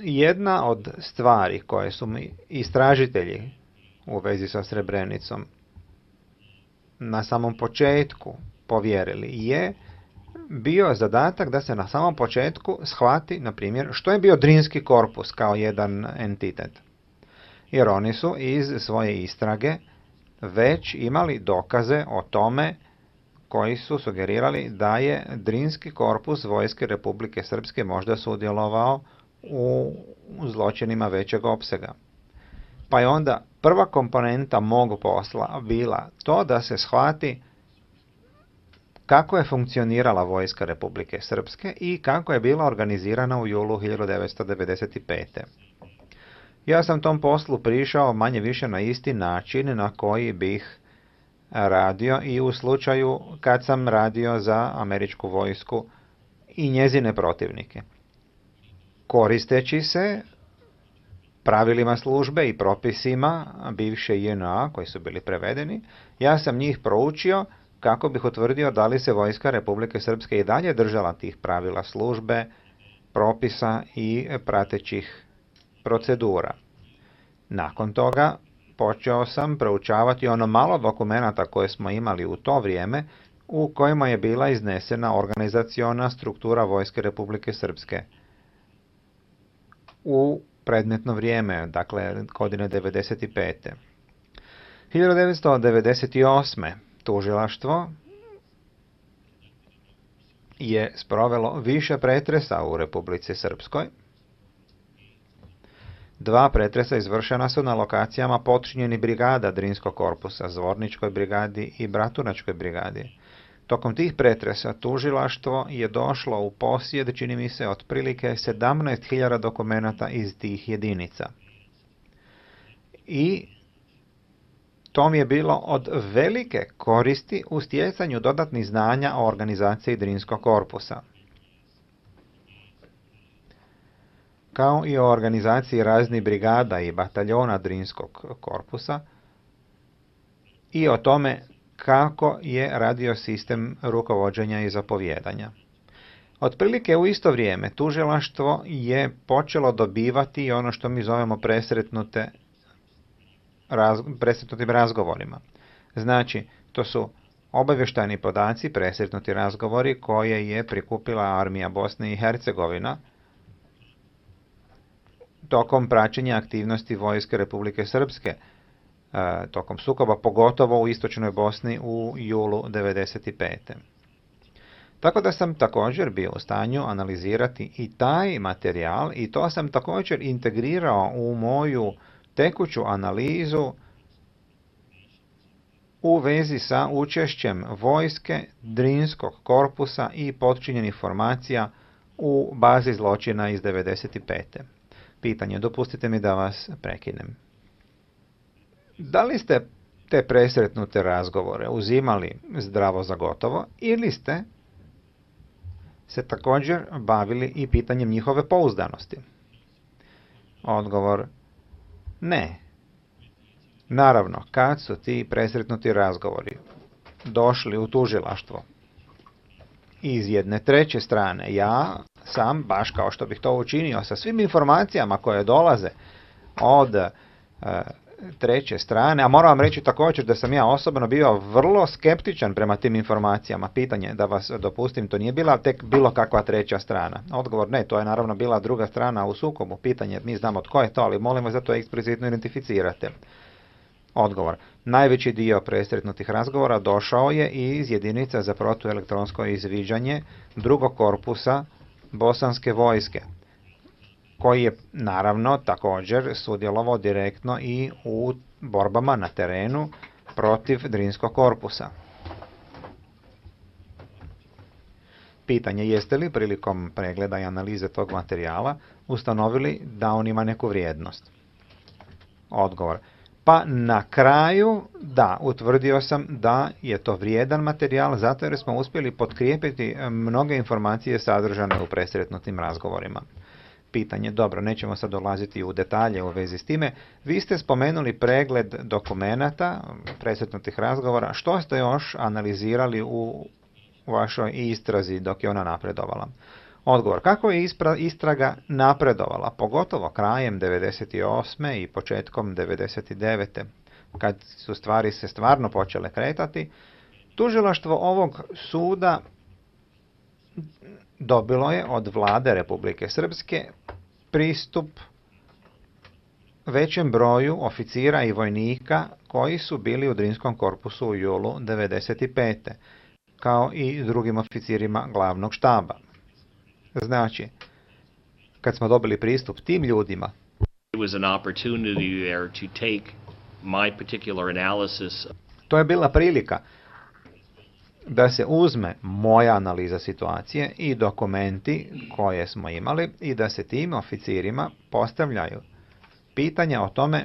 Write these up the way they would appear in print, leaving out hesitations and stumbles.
jedna od stvari koje su mi istražitelji u vezi sa Srebrenicom na samom početku povjerili je bio zadatak da se na samom početku shvati, na primjer, što je bio Drinski korpus kao jedan entitet. Jer oni su iz svoje istrage već imali dokaze o tome koji su sugerirali da je Drinski korpus Vojske Republike Srpske možda sudjelovao u zločinima većeg opsega. Pa je onda prva komponenta mog posla bila to da se shvati kako je funkcionirala Vojska Republike Srpske i kako je bila organizirana u julu 1995. Ja sam tom poslu prišao manje više na isti način na koji bih radio i u slučaju kad sam radio za američku vojsku i njezine protivnike. Koristeći se pravilima službe i propisima bivše JNA koji su bili prevedeni, ja sam njih proučio kako bih utvrdio da li se Vojska Republike Srpske i dalje držala tih pravila službe, propisa i pratećih procedura. Nakon toga počeo sam proučavati ono malo dokumenata koje smo imali u to vrijeme u kojima je bila iznesena organizaciona struktura Vojske Republike Srpske u predmetno vrijeme, dakle godine 1995. 1998. tužilaštvo je sprovelo više pretresa u Republici Srpskoj. 2 pretresa izvršena su na lokacijama podčinjenih brigada Drinskog korpusa, Zvorničkoj brigadi i Bratunačkoj brigadi. Tokom tih pretresa tužilaštvo je došlo u posjed, čini mi se, otprilike 17.000 dokumenata iz tih jedinica. I to mi je bilo od velike koristi u stjecanju dodatnih znanja o organizaciji Drinskog korpusa, kao i o organizaciji raznih brigada i bataljona Drinskog korpusa i o tome kako je radio sistem rukovođenja i zapovijedanja. Otprilike u isto vrijeme tužilaštvo je počelo dobivati ono što mi zovemo presretnutim razgovorima. Znači, to su obavještajni podaci, presretnuti razgovori koje je prikupila armija Bosne i Hercegovina tokom praćenja aktivnosti Vojske Republike Srpske, tokom sukoba, pogotovo u istočnoj Bosni u julu 1995. Tako da sam također bio u stanju analizirati i taj materijal i to sam također integrirao u moju tekuću analizu u vezi sa učešćem vojske, Drinskog korpusa i podčinjenih formacija u bazi zločina iz 1995. Pitanje, dopustite mi da vas prekinem. Da li ste te presretnute razgovore uzimali zdravo za gotovo ili ste se također bavili i pitanjem njihove pouzdanosti? Odgovor, ne. Naravno, kad su ti presretnuti razgovori došli u tužilaštvo iz jedne treće strane, ja sam, baš kao što bih to učinio sa svim informacijama koje dolaze od treće strane, a moram vam reći također da sam ja osobno bio vrlo skeptičan prema tim informacijama. Pitanje, da vas dopustim, to nije bila tek bilo kakva treća strana. Odgovor, ne, to je naravno bila druga strana u sukobu. Pitanje, mi znamo tko je to, ali molim vas da to eksplicitno identificirate. Odgovor, najveći dio presretnutih razgovora došao je iz jedinica za protuelektronsko izviđanje drugog korpusa Bosanske vojske, koji je naravno također sudjelovao direktno i u borbama na terenu protiv Drinskog korpusa. Pitanje, jeste li prilikom pregleda i analize tog materijala ustanovili da on ima neku vrijednost? Odgovor, pa na kraju da, utvrdio sam da je to vrijedan materijal zato jer smo uspjeli potkrijepiti mnoge informacije sadržane u presretnutim razgovorima. Pitanje, dobro, nećemo sad dolaziti u detalje u vezi s time. Vi ste spomenuli pregled dokumenata, presretnutih razgovora. Što ste još analizirali u vašoj istrazi dok je ona napredovala? Odgovor. Kako je istraga napredovala, pogotovo krajem 98. i početkom 99. kad su stvari se stvarno počele kretati, tužilaštvo ovog suda dobilo je od vlade Republike Srpske pristup većem broju oficira i vojnika koji su bili u Drinskom korpusu u julu 95. kao i drugim oficirima glavnog štaba. Znači, kad smo dobili pristup tim ljudima, to je bila prilika da se uzme moja analiza situacije i dokumenti koje smo imali i da se tim oficirima postavljaju pitanja o tome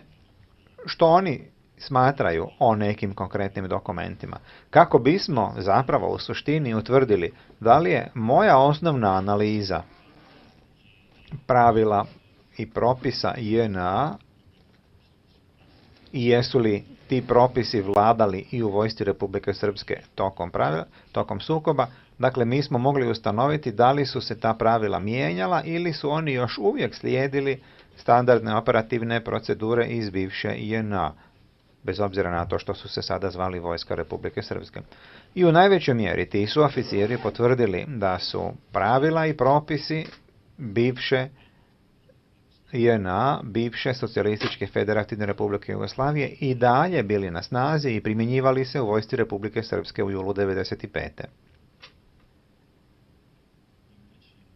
što oni smatraju o nekim konkretnim dokumentima. Kako bismo zapravo u suštini utvrdili da li je moja osnovna analiza pravila i propisa JNA i jesu li ti propisi vladali i u vojsci Republike Srpske tokom sukoba. Dakle, mi smo mogli ustanoviti da li su se ta pravila mijenjala ili su oni još uvijek slijedili standardne operativne procedure iz bivše JNA, bez obzira na to što su se sada zvali vojska Republike Srpske. I u najvećoj mjeri ti su oficiri potvrdili da su pravila i propisi bivše JNA, bivše Socijalističke federativne Republike Jugoslavije i dalje bili na snazi i primjenjivali se u vojsci Republike Srpske u julu 95.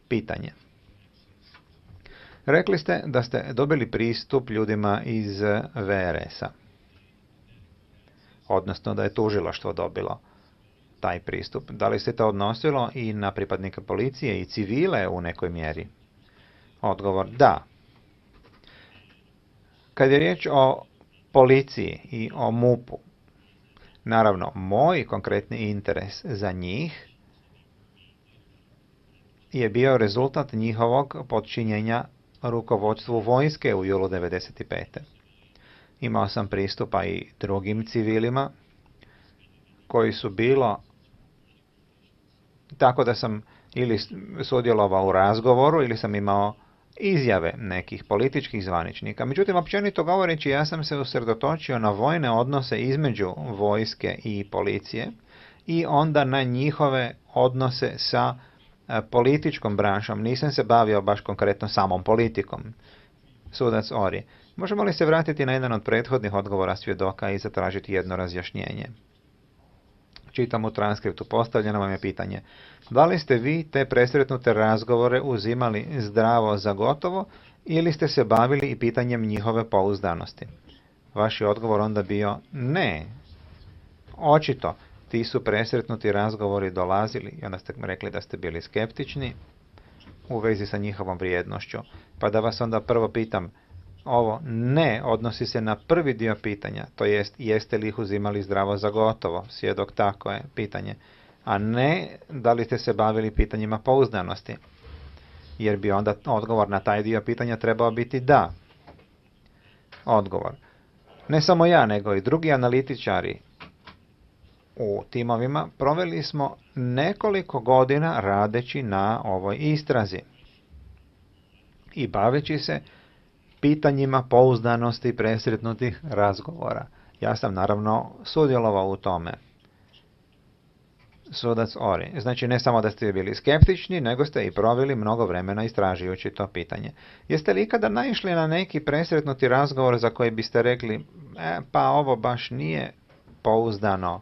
Pitanje. Rekli ste da ste dobili pristup ljudima iz VRS-a. Odnosno da je tužilaštvo dobilo taj pristup. Da li se to odnosilo i na pripadnike policije i civile u nekoj mjeri? Odgovor da. Kad je riječ o policiji i o MUP-u, naravno, moj konkretni interes za njih je bio rezultat njihovog podčinjenja rukovodstvu vojske u julu 95. Imao sam pristupa i drugim civilima koji su bilo tako da sam ili sudjelovao u razgovoru ili sam imao izjave nekih političkih zvaničnika. Međutim, općenito govoreći, ja sam se usredotočio na vojne odnose između vojske i policije i onda na njihove odnose sa političkom branšom. Nisam se bavio baš konkretno samom politikom. Sudac Ori. Možemo li se vratiti na jedan od prethodnih odgovora svjedoka i zatražiti jedno razjašnjenje? Čitam u transkriptu. Postavljeno vam je pitanje. Da li ste vi te presretnute razgovore uzimali zdravo za gotovo ili ste se bavili i pitanjem njihove pouzdanosti? Vaš je odgovor onda bio ne. Očito, ti su presretnuti razgovori dolazili i onda ste rekli da ste bili skeptični u vezi sa njihovom vrijednošću. Pa da vas onda prvo pitam, ovo ne odnosi se na prvi dio pitanja, to jest jeste li ih uzimali zdravo za gotovo, svjedok tako je pitanje, a ne da li ste se bavili pitanjima pouzdanosti, jer bi onda odgovor na taj dio pitanja trebao biti da. Odgovor. Ne samo ja, nego i drugi analitičari u timovima proveli smo nekoliko godina radeći na ovoj istrazi i baveći se pitanjima pouzdanosti presretnutih razgovora. Ja sam naravno sudjelovao u tome. Sudac Ori. Znači ne samo da ste bili skeptični, nego ste i proveli mnogo vremena istražujući to pitanje. Jeste li ikada naišli na neki presretnuti razgovor za koji biste rekli, pa ovo baš nije pouzdano,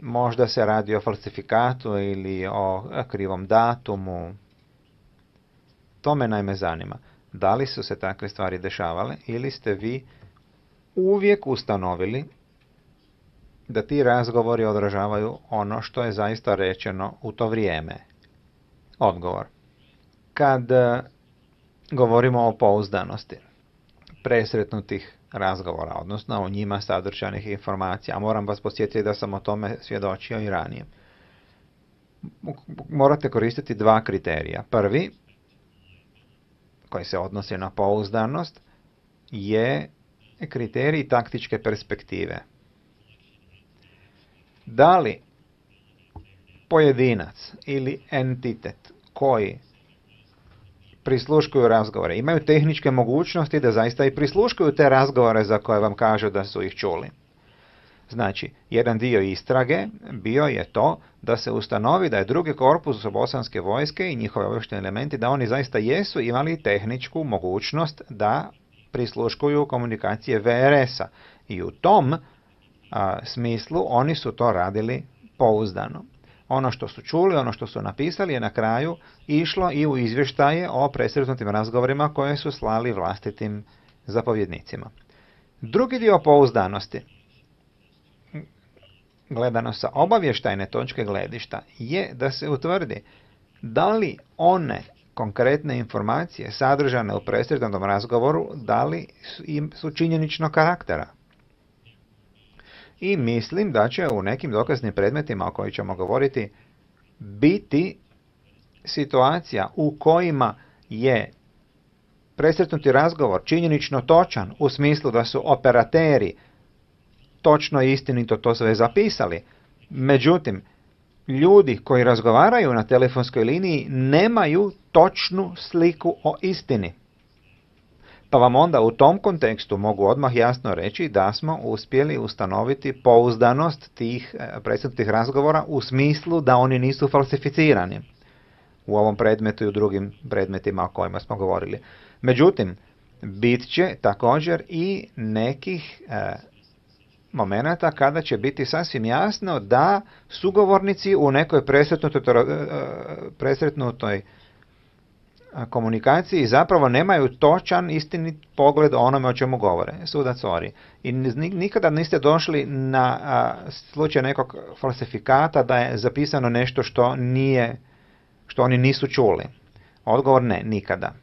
možda se radi o falsifikatu ili o krivom datumu? To me naime zanima. Da li su se takve stvari dešavale ili ste vi uvijek ustanovili da ti razgovori odražavaju ono što je zaista rečeno u to vrijeme? Odgovor. Kad govorimo o pouzdanosti presretnutih razgovora, odnosno o njima sadržanih informacija, moram vas podsjetiti da sam o tome svjedočio i ranije. Morate koristiti dva kriterija. Prvi, koji se odnosi na pouzdanost, je kriterij taktičke perspektive. Da li pojedinac ili entitet koji prisluškuju razgovore imaju tehničke mogućnosti da zaista i prisluškuju te razgovore za koje vam kažu da su ih čuli. Znači, jedan dio istrage bio je to da se ustanovi da je drugi korpus bosanske vojske i njihove obavještajni elementi, da oni zaista jesu imali tehničku mogućnost da prisluškuju komunikacije VRS-a. I u tom smislu oni su to radili pouzdano. Ono što su čuli, ono što su napisali je na kraju išlo i u izvještaje o presretnutim razgovorima koje su slali vlastitim zapovjednicima. Drugi dio pouzdanosti, gledano sa obavještajne točke gledišta, je da se utvrdi da li one konkretne informacije sadržane u presretnutom razgovoru, da li su činjeničnog karaktera. I mislim da će u nekim dokaznim predmetima o kojima ćemo govoriti biti situacija u kojima je presretnuti razgovor činjenično točan u smislu da su operateri točno i istinito to sve zapisali. Međutim, ljudi koji razgovaraju na telefonskoj liniji nemaju točnu sliku o istini. Pa vam onda u tom kontekstu mogu odmah jasno reći da smo uspjeli ustanoviti pouzdanost tih presretnutih razgovora u smislu da oni nisu falsificirani u ovom predmetu i u drugim predmetima o kojima smo govorili. Međutim, bit će također i nekih momenata kada će biti sasvim jasno da sugovornici u nekoj presretnutoj komunikaciji zapravo nemaju točan, istinit pogled o onome o čemu govore. Sudac ori. I nikada niste došli na slučaj nekog falsifikata da je zapisano nešto što oni nisu čuli. Odgovor ne, nikada.